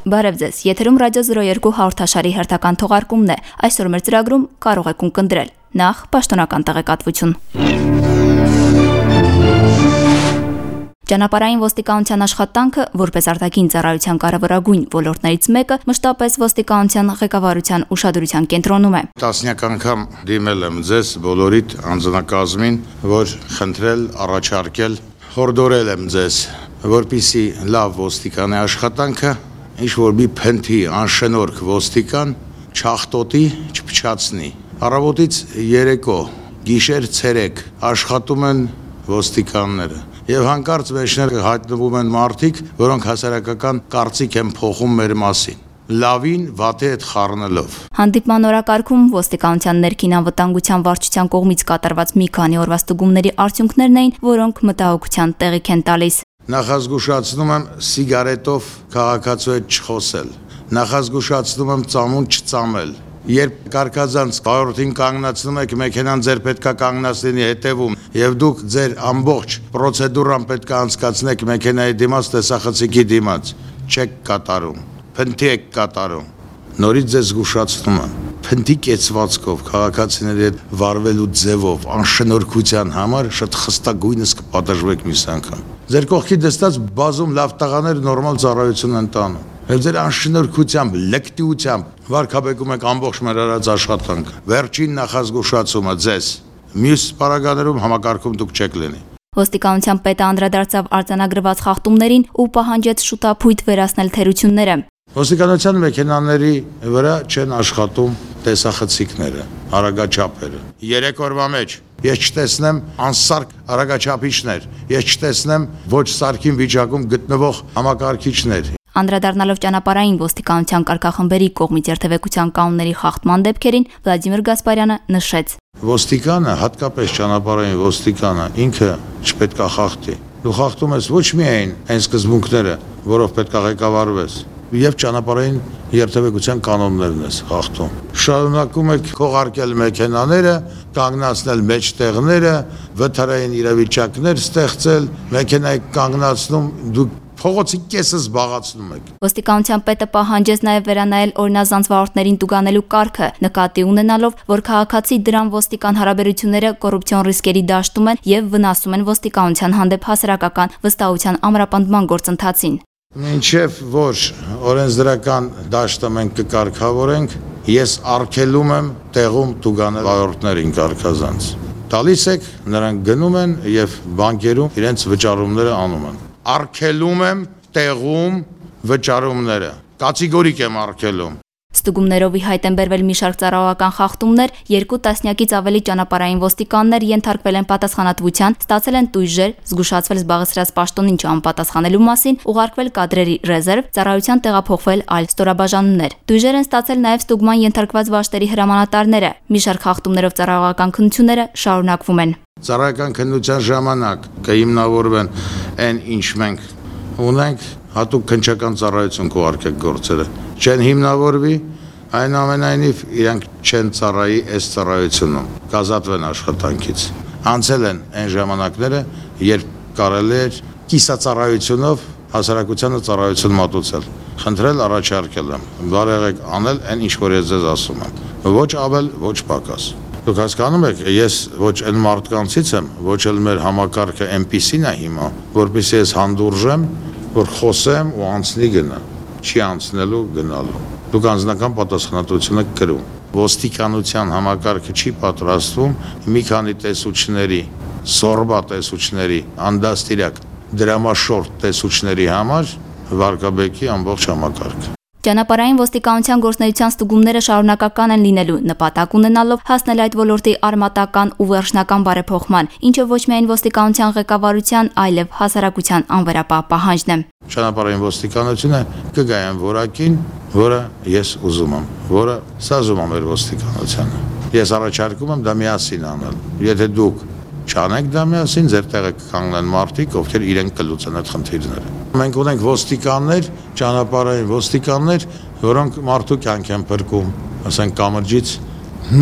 Բարև ձեզ, եթերում ռադիո 02 հաղորդաշարի հերթական թողարկումն է։ Այսօր մեր ծրագրում կարող եք ունկնդրել նախ պաշտոնական տեղեկատվություն։ Ճանապարհային ոստիկանության աշխատանքը, որպես արտաքին ծառայության կարևորագույն ոլորտներից մեկը, մշտապես ոստիկանության ղեկավարության ուշադրության կենտրոնում է։ Տասնյակ անգամ դիմել եմ ձեզ բոլորիդ անձնակազմին, որ խնդրել, առաջարկել, հորդորել եմ ձեզ, որպեսզի լավ ոստիկանի աշխատանքը, ինչ որ մի փնթի անշնորհք ոստիկան չախտոտի, չփչացնի։ Առավոտից երեկո, գիշեր ցերեկ աշխատում են ոստիկանները։ Եվ հանկարծ մեջներ հայտնվում են մարդիկ, որոնք հասարակական կարծիք են փոխում մեր մասին, լավին վատի հետ խառնելով։ Հանդիպման օրակարգում ոստիկանության ներքին անվտանգության վարչության կողմից կատարված մի քանի օրվա ստուգումների արդյունքներն էին, որոնք մտահոգության տեղիք են տալիս։ Նախազգուշացնում եմ սիգարետով քաղաքացու հետ չխոսել, նախազգուշացնում եմ ծամուն չծամել։ Երբ կարգազանց վարորդին կանգնացնում եք, մեքենան ձեր պետք է կանգնացնի հետևում, եւ դուք ձեր ամբողջ պրոցեդուրան պետք է անցկացնեք մեքենայի դիմաց, տեսախցիկի դիմաց, չեք կատարում, փնթի եք կատարում։ Նորից ձեզ զգուշացնում եմ, փնթի կեցվածքով քաղաքացիների հետ վարվելու ձևով, անշնորհքության համար շատ խստագույնս կպատժվեք մյուս անգամ։ Ձեր կողքի դստած բազում լավ տղաներ նորմալ ծառայություն են տանում։ Եվ ձեր անշնորհքությամբ, լկտիությամբ վարկաբեկում եք ամբողջ մեր արած աշխատանքը։ Վերջին նախազգուշացումը ձեզ, մյուս պարագաներում համակարգում դուք չեք լինի։ Ոստիկանության պետը անդրադարձավ արձանագրված խախտումներին ու պահանջեց շուտափույթ վերացնել թերությունները։ Ոստիկանության մեքենաների վրա չեն աշխատում տեսախցիկները, արագաչափերը։ 3 օրվա մեջ ես չտեսնեմ անսարք արագաչափիչներ, ես չտեսնեմ ոչ սարքին վիճակում գտնվող համակարգիչներ։ Անդրադառնալով ճանապարհային ոստիկանության կարգախմբերի կողմից երթևեկության կանոնների խախտման դեպքերին, Վլադիմիր Գասպարյանը նշեց. Ոստիկանը, հատկապես ճանապարհային ոստիկանը, ինքը չպետք է խախտի։ Դու խախտում ես ոչ միայն այն սկզբունքները, որով պետք է ղեկավարվես, եւ ճանապարհային երթևեկության կանոններն ես խախտում։ Շարունակում եք քողարկել մեքենաները, կանգնացնել մեջտեղները, վթարային իրավիճակներ ստեղծել, մեքենայի կանգնացնում, դուք փողոցի կեսը զբաղացնում եք։ Ոստիկանության պետը պահանջեց նաև վերանայել օրինազանց վարորդներին տուգանելու կարգը, նկատի ունենալով, որ քաղաքացի դրան ոստիկան հարաբերությունները կոռուպցիոն ռիսկերի դաշտում են եւ վնասում են ոստիկանության հանդեպ հասարակական վստահության ամրապնդման գործընթացին։ Մինչև որ օրենսդրական դաշտը մենք կկարգավորենք, ես արգելում եմ տեղում տուգանել վարորդներին կարգազանց։ Տալիս եք, նրանք գնում են եւ բանկերում իրենց վճարումները անում են։ Արգելում եմ տեղում վճարումները, կատեգորիկ եմ արգելում։ Ստուգումներով ի հայտ են բերվել մի շարք ծառայողական խախտումներ, 2 տասնյակից ավելի ճանապարհային ոստիկաններ ենթարկվել են պատասխանատվության, ստացել են տույժեր, զգուշացվել զբաղեցրած պաշտոնին չանպատասխանելու մասին, ուղարկվել կադրերի ռեզերվ, ծառայության տեղափոխվել այլ ստորաբաժանումներ։ Տույժեր են ստացել նաև ստուգման ենթարկված վաշտերի հրամանատարները։ Մի շարք խախտումներով ծառայողական քննությունները շարունակվում են։ Ծառայական քննության ժամանակ կհիմնավորվեն այն, ինչ մենք ունենք, հատուկ քննչական ծառայություն կուղարկեք գործերը։ Չեն հիմնավորվի, այնուամենայնիվ իրանք չեն ծառայի այս ծառայությունում, կազատվեն աշխատանքից։ Անցել են այն ժամանակները, երբ կարելի էր կիսածառայությունով հասարակությանը ծառայություն մատուցել։ Խնդրել առաջարկել եմ, բարեղեք անել այն, ինչ որ ես ձեզ ասում եմ։ Ոչ ավել, ոչ պակաս։ Դուք հասկանում եք, ես ոչ այն մարդկանցից եմ, ոչ էլ մեր համակարգը այնպիսին է հիմա, որպեսզի ես հանդուրժեմ, որ խոսեմ ու անցնի գնա, չի անցնելու գնալու։ Դուք անձնական պատասխանատվություն եք կրում։ Ոստիկանության համակարգը չի պատրաստվում մի քանի տեսուչների, սորբա տեսուչների, անդաստիրակ, դրամաշորտ տեսուչների համար վարկաբեկի ամբողջ համակարգը։ Ճանապարհային ոստիկանության գործունեության ստուգումները շարունակական են լինելու, նպատակ ունենալով հասնել այդ ոլորտի արմատական ու վերջնական բարեփոխման, ինչը ոչ միայն ոստիկանության ղեկավարության, այլև հասարակության անվերապահ պահանջն է։ Ճանապարհային ոստիկանությունը կգա այն որակին, որը ես ուզում եմ, որը սազում է մեր ոստիկանությանը։ Ես առաջարկում եմ դա միասին անել։ Եթե դուք չանեք դա միասին, ձեր տեղը կկանգնեն մարդիկ, ովքեր իրենք կլուծեն այդ խնդիրները։ Մենք ունենք ոստիկաններ, ճանապարհային ոստիկաններ, որոնք մարդու կյանք են փրկում, ասենք կամրջից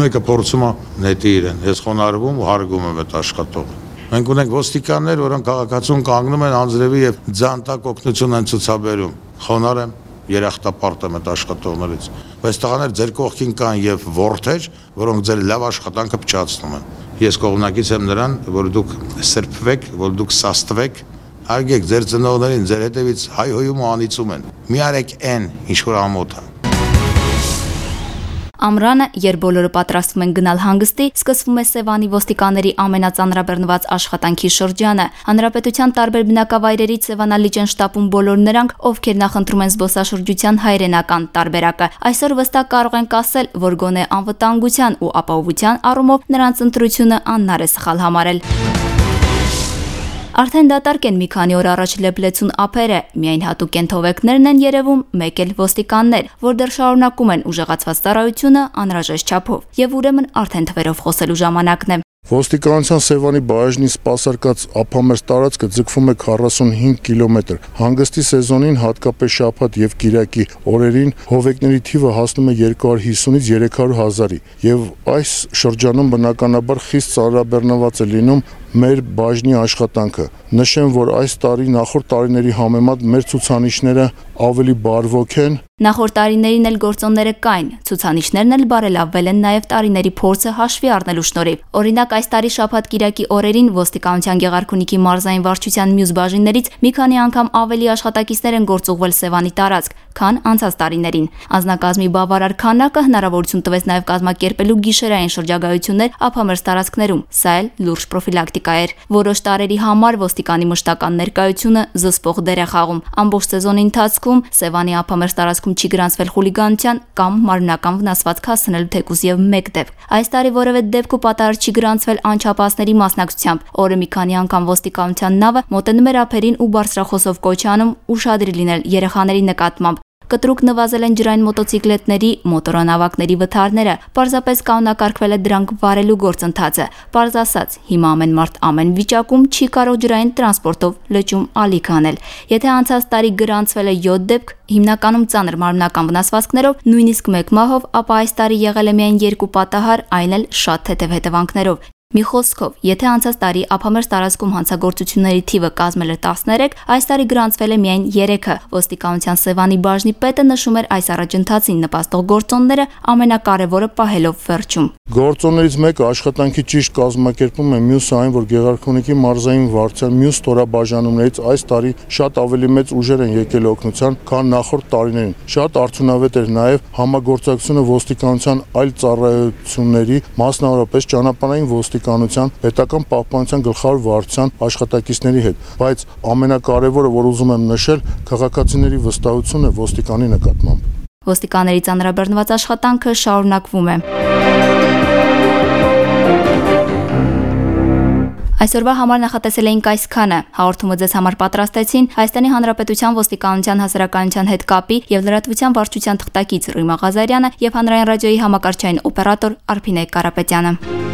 մեկը փորձում է նետի իրեն, ես խոնարհվում ու հարգում եմ այդ աշխատողը։ Մենք ունենք ոստիկաններ, որոնք քաղաքացուն կանգնում են անձրևի եւ ձանտակ օգնություն են ցուցաբերում։ Խոնարհ եմ, երախտապարտ եմ այդ աշխատողներից, բայց տղաներ ձեր կողքին կան եւ որդեր, որոնք ձեր լավ աշխատանքը փչացնում են։ Ես կողմնակից եմ նրան, որ դուք սրբվեք, որ դուք սաստվեք, արգեք ձեր ծնողներին, ձեր հետևից հայհոյում ու անիծում են։ Մի արեք այն, ինչ որ ամոթ է։ Ամռանը, երբ բոլորը պատրաստվում են գնալ հանգստի, սկսվում է Սևանի ոստիկանների ամենածանրաբեռնված աշխատանքի շրջանը։ Հանրապետության տարբեր բնակավայրերից Սևանալիճ են շտապում բոլոր նրանք, ովքեր նախընտրում են զբոսաշրջության հայրենական տարբերակը։ Այսօր վստահ կարող ենք ասել, որ գոնե անվտանգության ու ապահովության առումով նրանց ընտրությունը անհնար է սխալ համարել։ Արդեն դատարկ են մի քանի օր առաջ լեփլեցուն ափերը, միայն հատուկ ենթովեկներն են երևում, մեկ էլ ոստիկաններ, որ դեռ շարունակում են ուժեղացված ծառայությունը անհրաժեշտ չափով, եւ ուրեմն արդեն թվերով խոսելու ժամանակն է։ Ոստիկանության Սևանի բաժնի սպասարկած ափամերձ տարածքը ձգվում է 45 կիլոմետր։ Հանգստի սեզոնին, հատկապես շաբաթ եւ կիրակի օրերին, հովեկների թիվը հասնում է 250-ից 300 հազարի, եւ այս շրջանում բնականաբար խիստ ծանրաբեռնված է լինում մեր բաժնի աշխատանքը։ Նշեմ, որ այս տարի նախորդ տարիների համեմատ մեր ցուցանիշները ավելի բարվոք են։ Նախորդ տարիներին էլ գործոնները կային, ցուցանիշներն էլ բարելավվել են նաև տարիների փորձը հաշվի առնելու շնորհիվ։ Օրինակ, այս տարի շաբաթ-կիրակի օրերին ոստիկանության Գեղարքունիքի մարզային վարչության մյուս բաժիններից մի քանի անգամ ավելի աշխատակիցներ են գործուղվել Սևանի տարածք, քան անցած տարիներին։ Անձնակազմի բավարար քանակը հնարավորություն տվեց նաև կազմակերպելու գիշերային շրջագայություններ ափամերձ տարածքներում։ Սա էլ լուրջ պրոֆիլակտիկա էր։ Որոշ տարերի համար ոստիկանի մշտական ներկայությունը զսպող դեր է խաղում։ Ամբողջ սեզոնի ընթացքում Սևանի ափամերձ տարածքում չի գրանցվել խուլիգանության կամ մարմնական վնասվածք հասցնելու թեկուզ եւ մեկ դեպք։ Այս տարի որևէ դեպք ու պատահար չի գրանցվել անչափահասների մասնակցությամբ։ Օրը մի քանի անգամ ոստիկանության նավը մոտենում էր ափերին ու բարձրախոսով կոչ անում ուշադիր լինել երեխաների նկատմամբ։ Կտրուկ նվազել են ջրային մոտոցիկլետների, մոտորանավակների վթարները, պարզապես կանոնակարգվել է դրանք վարելու գործընթացը։ Պարզ ասած, հիմա ամեն մարդ ամեն վիճակում չի կարող ջրային տրանսպորտով լճում ալիք անել։ Եթե անցած տարի գրանցվել է 7 դեպք, հիմնականում ծանր մարմնական վնասվածքներով, նույնիսկ 1 մահով, ապա այս տարի եղել է միայն 2 պատահար, այն էլ շատ թեթև հետևանքներով։ Մի խոսքով, եթե անցած տարի ափամերձ տարածքում հանցագործությունների թիվը կազմել էր 13, այս տարի գրանցվել է միայն 3-ը։ Ոստիկանության Սևանի բաժնի պետը նշում էր այս առաջընթացին նպաստող գործոնները ամենակարևորը պահելով վերջում։ Գործոններից մեկը աշխատանքի ճիշտ կազմակերպում է, մյուսը այն, որ Գեղարքունիքի մարզային վարչության մյուս ստորաբաժանումներից այս տարի շատ ավելի մեծ ուժեր են եկել օգնության, քան նախորդ տարիներին։ Շատ արդյունավետ էր նաև համագործակցությունը ոստիկանության այլ ծառայությունների, մասնավորապես ճանապարհային ոստիկանության, պետական պահպանության գլխավոր վարչության աշխատակիցների հետ, բայց ամենակարևորը, որ ուզում եմ նշել, քաղաքացիների վստահությունը ոստիկանի նկատմամբ։ Ոստիկանների ծանրաբեռնված աշխատանքը շարունակվում է։ Այսօրվա համար նախատեսել էինք այսքանը։ Հաղորդումը ձեզ համար պատրաստեցին Հայաստանի Հանրապետության ոստիկանության հասարակայնության հետ կապի եւ լրատվության վարչության թղթակից Ռիմա Ղազարյանը եւ Հանրային ռադիոյի համակարգչային օպերատոր Արփինե Կարապետյանը։